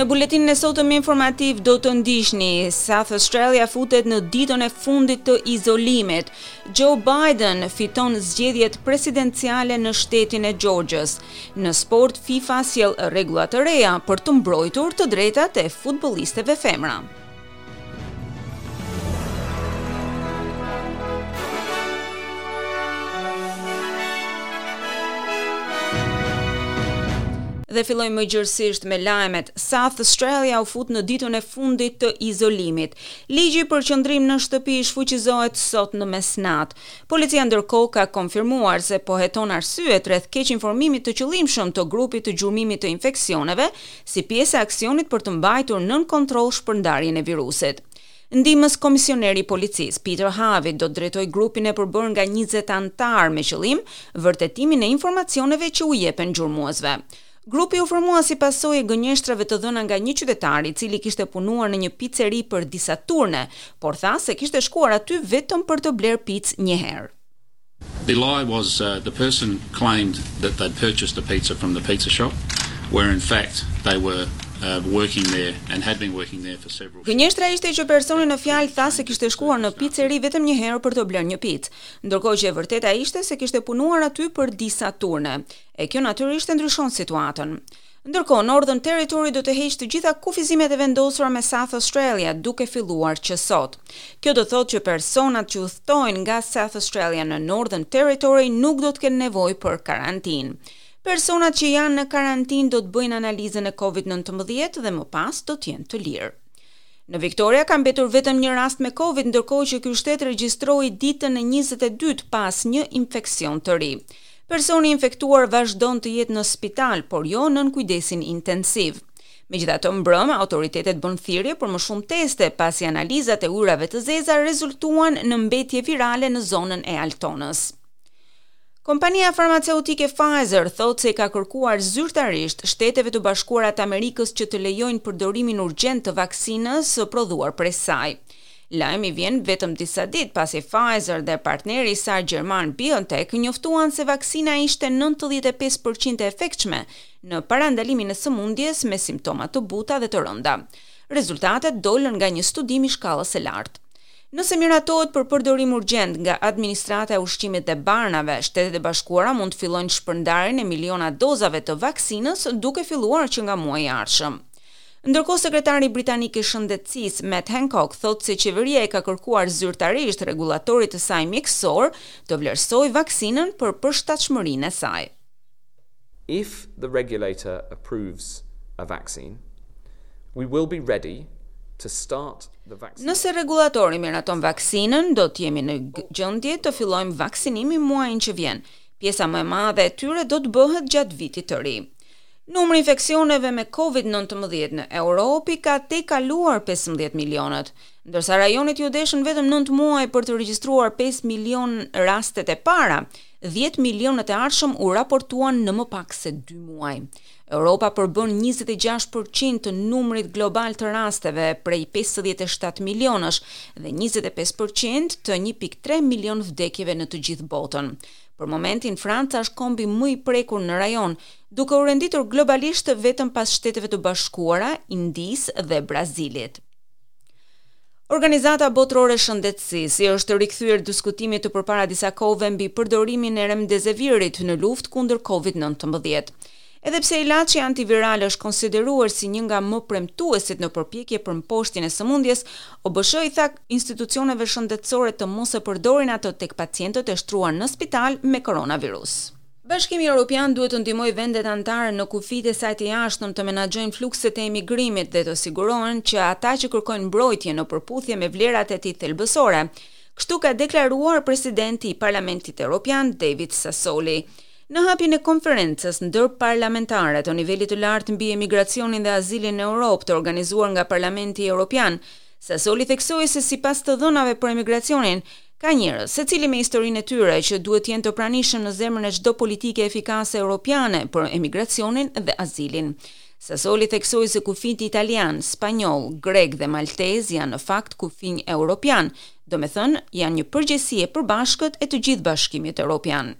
Në buletinin e sotëm informativ do të ndiqni South Australia futet në ditën e fundit të izolimit. Joe Biden fiton zgjedhjet presidenciale në shtetin e Georgias. Në sport FIFA sjell rregulla të reja për të mbrojtur të drejtat e futbollisteve femra. Dhe fillojmë më gjerësisht me lajmet. South Australia u fut në ditën e fundit të izolimit. Ligji për qëndrim në shtëpi shfuqizohet sot në mesnatë. Policia ndërkohë ka konfirmuar se po heton arsyet rreth keqinformimit të qëllimshëm të grupit të gjurmimit të infeksioneve si pjesë e aksionit për të mbajtur nën kontroll shpërndarjen e virusit. Ndihmës komisioneri i policisë, Peter Harvey, do të drejtojë grupin e përbërë nga 20 anëtarë me qëllim vërtetimin e informacioneve që u jepen gjurmuesve. Grupi u formua si pasojë e gënjeshtrave të dhëna nga një qytetar i cili kishte punuar në një piceri për disa turne, por tha se kishte shkuar aty vetëm për të blerë picë një herë. The lie was uh, the person claimed that they'd purchased a pizza from the pizza shop, where in fact they were uh, working there and had been working there for several Gënjeshtra ishte që personi në fjalë tha se kishte shkuar në piceri vetëm një herë për të blerë një picë, ndërkohë që e vërteta ishte se kishte punuar aty për disa turne. E kjo natyrisht e ndryshon situatën. Ndërkohë, Northern Territory do të heqë të gjitha kufizimet e vendosura me South Australia, duke filluar që sot. Kjo do thotë që personat që udhëtojnë nga South Australia në Northern Territory nuk do të kenë nevojë për karantinë. Personat që janë në karantinë do të bëjnë analizën e COVID-19 dhe më pas do të jenë të lirë. Në Victoria ka mbetur vetëm një rast me Covid, ndërkohë që ky shtet regjistroi ditën e 22 pas një infeksion të ri. Personi i infektuar vazhdon të jetë në spital, por jo nën kujdesin intensiv. Megjithatë, mbrëmë autoritetet bënë thirrje për më shumë teste pasi analizat e ujërave të zeza rezultuan në mbetje virale në zonën e Altonës. Kompania farmaceutike Pfizer thotë se i ka kërkuar zyrtarisht Shteteve të Bashkuara të Amerikës që të lejojnë përdorimin urgjent të vaksinës së prodhuar prej saj. Lajmi vjen vetëm disa ditë pasi Pfizer dhe partneri i saj gjerman BioNTech njoftuan se vaksina ishte 95% e efektshme në parandalimin e sëmundjes me simptoma të buta dhe të rënda. Rezultatet dolën nga një studim i shkallës së lartë. Nëse miratohet për përdorim urgjent nga Administrata e Ushqimit dhe Barnave, Shtetet e Bashkuara mund të fillojnë shpërndarjen e miliona dozave të vaksinës duke filluar që nga muaji i ardhshëm. Ndërkohë sekretari britanik i shëndetësisë Matt Hancock thotë se qeveria i ka kërkuar zyrtarisht rregullatorit të saj mjekësor të vlerësojë vaksinën për përshtatshmërinë e saj. If the regulator approves a vaccine, we will be ready to start the vaccine. Nëse rregullatori miraton vaksinën, do të jemi në gjendje të fillojmë vaksinimin muajin që vjen. Pjesa më e madhe e tyre do të bëhet gjatë vitit të ri. Numri i infeksioneve me Covid-19 në Europë i ka tejkaluar 15 milionët, ndërsa rajonit iu deshën vetëm 9 muaj për të regjistruar 5 milion rastet e para, 10 milionët e ardhshëm u raportuan në më pak se 2 muaj. Europa përbën 26% të numrit global të rasteve prej 57 milionësh dhe 25% të 1.3 milion vdekjeve në të gjithë botën. Për momentin, Franca është kombi më i prekur në rajon, duke u renditur globalisht vetëm pas Shteteve të Bashkuara, Indisë dhe Brazilit. Organizata Botërore e Shëndetësisë i është rikthyer diskutimit të përpara disa kohëve mbi përdorimin e remdesevirit në luftë kundër COVID-19. Edhe pse ilaçi antiviral është konsideruar si një nga më premtuesit në përpjekje për mposhtjen e sëmundjes, OBSH i tha institucioneve shëndetësore të mos e përdorin atë tek pacientët e shtruar në spital me koronavirus. Bashkimi Europian duhet të ndihmojë vendet anëtare në kufijtë e saj të jashtëm të menaxhojnë flukset e emigrimit dhe të sigurohen që ata që kërkojnë mbrojtje në përputhje me vlerat e tij thelbësore. Kështu ka deklaruar presidenti i Parlamentit Europian David Sassoli. Në hapjen e konferencës ndërparlamentare të nivelit të lartë mbi emigracionin dhe azilin në Europë të organizuar nga Parlamenti Europian, Sassoli theksoi se sipas të dhënave për emigracionin, ka njerëz, secili me historinë e tyre, që duhet të jenë të pranishëm në zemrën e çdo politike efikase europiane për emigracionin dhe azilin. Sassoli theksoi se kufijtë italian, spanjoll, grek dhe maltez janë në fakt kufinj europian, domethënë janë një përgjegjësi e përbashkët e të gjithë Bashkimit Europian.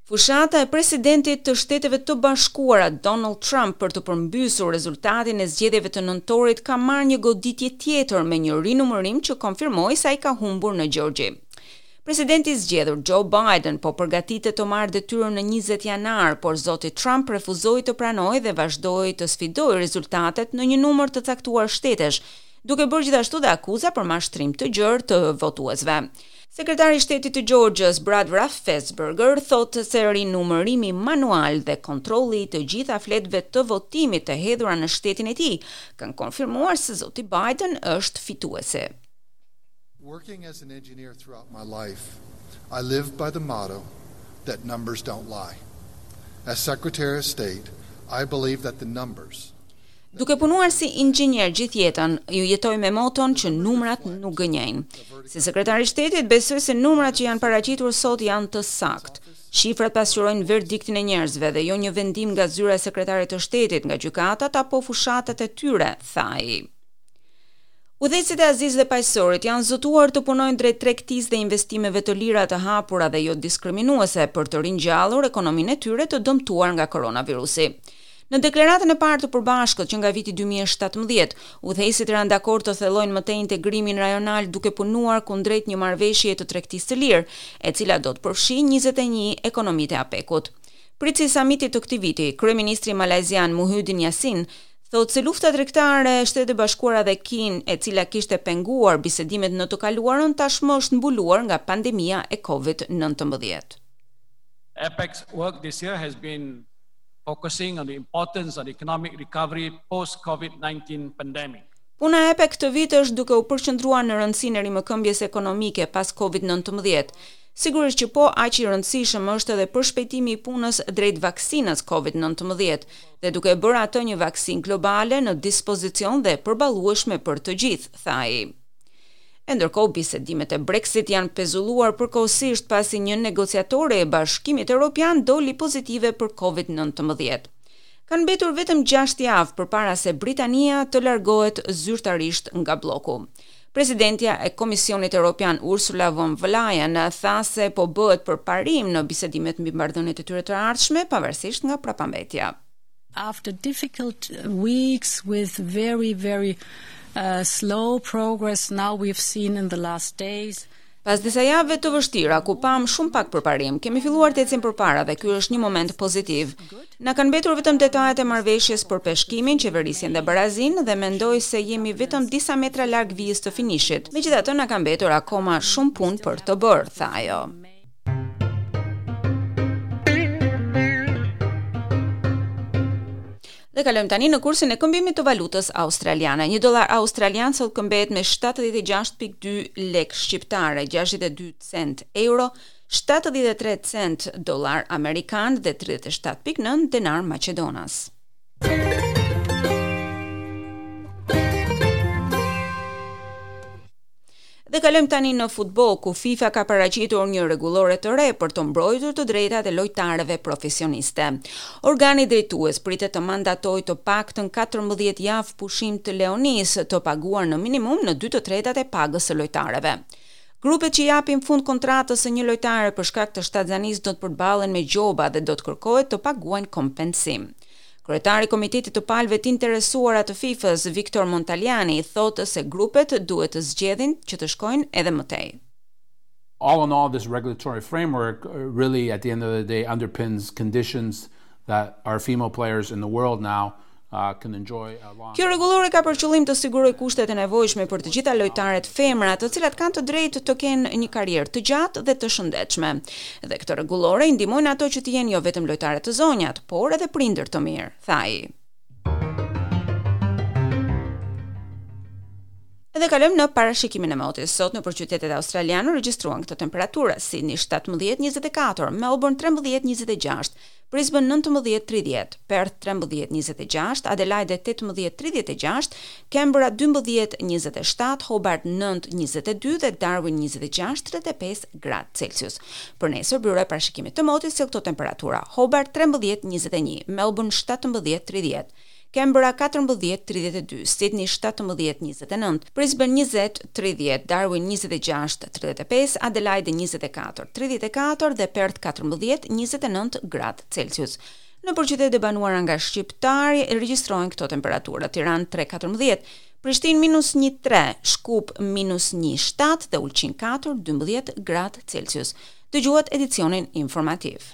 Fushata e presidentit të Shteteve të Bashkuara, Donald Trump për të përmbysur rezultatin e zgjedhjeve të nëntorit ka marrë një goditje tjetër me një rinumërim që konfirmoi se ai ka humbur në Gjeorgji. Presidenti i zgjedhur Joe Biden po përgatitet të marrë detyrën në 20 janar, por zoti Trump refuzoi të pranojë dhe vazhdoi të sfidojë rezultatet në një numër të caktuar shtetesh, duke bërë gjithashtu dhe akuza për mashtrim të gjerë të votuesve. Sekretari i Shtetit të Georgias, Brad Raffensperger, thotë se rinumërimi manual dhe kontrolli i të gjitha fletëve të votimit të hedhura në shtetin e tij kanë konfirmuar se zoti Biden është fituesi. Working as an engineer throughout my life, I live by the motto that numbers don't lie. As Secretary of State, I believe that the numbers Duke punuar si inxhinier gjithë jetën, ju jetoj me moton që numrat nuk gënjejnë. Si sekretar i shtetit, besoj se numrat që janë paraqitur sot janë të saktë. Shifrat pasqyrojnë verdiktin e njerëzve dhe jo një vendim nga zyra e sekretarit të shtetit, nga gjykatat apo fushatat e tyre, tha ai. Udhëheqësit e Azisë dhe Paqësorit janë zotuar të punojnë drejt tregtisë dhe investimeve të lira të hapura dhe jo diskriminuese për të ringjallur ekonominë e tyre të dëmtuar nga koronavirusi. Në deklaratën e parë të përbashkët që nga viti 2017, udhëheqësit ranë dakord të thellojnë më tej integrimin rajonal duke punuar kundrejt një marrëveshjeje të tregtisë së lirë, e cila do të përfshijë 21 ekonomitë e APEC-ut. Pritësi i samitit të këtij viti, kryeministri malajzian Muhyiddin Yassin, thotë se lufta tregtare e Shteteve të Bashkuara dhe Kinë, e cila kishte penguar bisedimet në të kaluarën, tashmë është mbuluar nga pandemia e COVID-19. APEC's work this year has been focusing on the importance of economic recovery post COVID-19 pandemic. Puna e APEC këtë vit është duke u përqendruar në rëndësinë e rimëkëmbjes ekonomike pas COVID-19. Sigurisht që po aq i rëndësishëm është edhe përshpejtimi i punës drejt vaksinës COVID-19 dhe duke bërë atë një vaksinë globale në dispozicion dhe përballueshme për të gjithë, tha ai. E ndërkohë bisedimet e Brexit janë pezulluar përkohësisht pasi një negociatore e Bashkimit Evropian doli pozitive për COVID-19. Kanë mbetur vetëm 6 javë përpara se Britania të largohet zyrtarisht nga blloku. Presidentja e Komisionit Evropian Ursula von der Leyen tha se po bëhet përparim në bisedimet mbi marrëdhëniet e tyre të ardhshme pavarësisht nga prapambetja. After difficult weeks with very very uh, slow progress now we've seen in the last days Pas disa javëve të vështira ku pam shumë pak përparim, kemi filluar të ecim përpara dhe ky është një moment pozitiv. Na kanë mbetur vetëm detajet e marrëveshjes për peshkimin, qeverisjen dhe barazinë dhe mendoj se jemi vetëm disa metra larg vijës të finishit. Megjithatë na ka mbetur akoma shumë punë për të bërë, tha ajo. Dhe kalojmë tani në kursin e këmbimit të valutës australiane. Një dollar australian sot këmbehet me 76.2 lek shqiptare, 62 cent euro, 73 cent dollar amerikan dhe 37.9 denar maqedonas. Dhe kalojmë tani në futboll, ku FIFA ka paraqitur një rregullore të re për të mbrojtur të drejtat e lojtarëve profesioniste. Organi drejtues pritet të mandatojë të paktën 14 javë pushim të lehonisë të paguar në minimum në 2/3 e pagës së lojtarëve. Grupet që japin fund kontratës së një lojtare për shkak të shtatzanisë do të përballen me gjoba dhe do të kërkohet të paguajnë kompensim. Kryetari i Komitetit të Palëve të Interesuara të FIFA-s, Victor Montagliani, thotë se grupet duhet të zgjedhin që të shkojnë edhe më tej. All in all, this regulatory framework uh, really at the end of the day underpins conditions that our female players in the world now uh, can enjoy a long Kjo rregullore ka për qëllim të sigurojë kushtet e nevojshme për të gjitha lojtaret femra, të cilat kanë të drejtë të kenë një karrierë të gjatë dhe të shëndetshme. Dhe këtë rregullore i ndihmojnë ato që të jenë jo vetëm lojtare të zonjat, por edhe prindër të mirë, tha ai. Edhe kalojmë në parashikimin e motit. Sot nëpër qytetet australiane u regjistruan këto temperatura: Sydney 17-24, Melbourne 13-26, Brisbane 19-30, Perth 13-26, Adelaide 18-36, Canberra 12-27, Hobart 9-22 dhe Darwin 26-35 gradë Celsius. Për nesër, byroja e parashikimit të motit sjell këto temperatura: Hobart 13-21, Melbourne 17-30, Canberra 14 32, Sydney 17 29, Brisbane 20 30, Darwin 26 35, Adelaide 24 34 dhe Perth 14 29 gradë Celsius. Nëpër qytetet e banuara nga shqiptarë regjistrohen këto temperatura: Tiranë 3-14, Prishtinë minus 1-3, Shkup minus 1-7 dhe Ulqin 4 12 gradë Celsius. Dëgjuat edicionin informativ.